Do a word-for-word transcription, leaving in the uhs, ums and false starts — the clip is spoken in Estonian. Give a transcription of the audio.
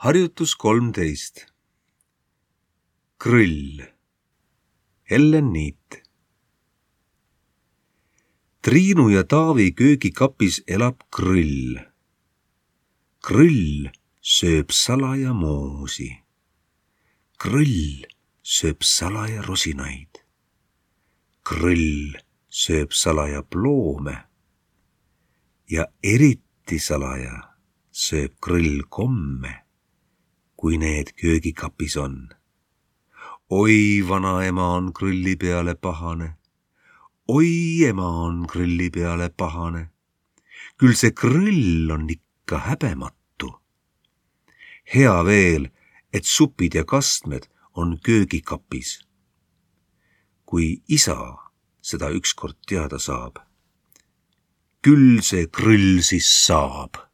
Harjutus kolmteist. Krõll. Ellen Niit. Triinu ja Taavi köögikapis elab krõll. Krõll sööb salaja moosi. Krõll sööb salaja rosinaid. Krõll sööb salaja ploome. Ja eriti salaja sööb krõll komme, kui need köögikapis on. Oi, vanaema on krõlli peale pahane. Oi, ema on krõlli peale pahane. Küll see krõll on ikka häbematu. Hea veel, et supid ja kastmed on köögikapis. Kui isa seda ükskord teada saab, küll see krõll siis saab.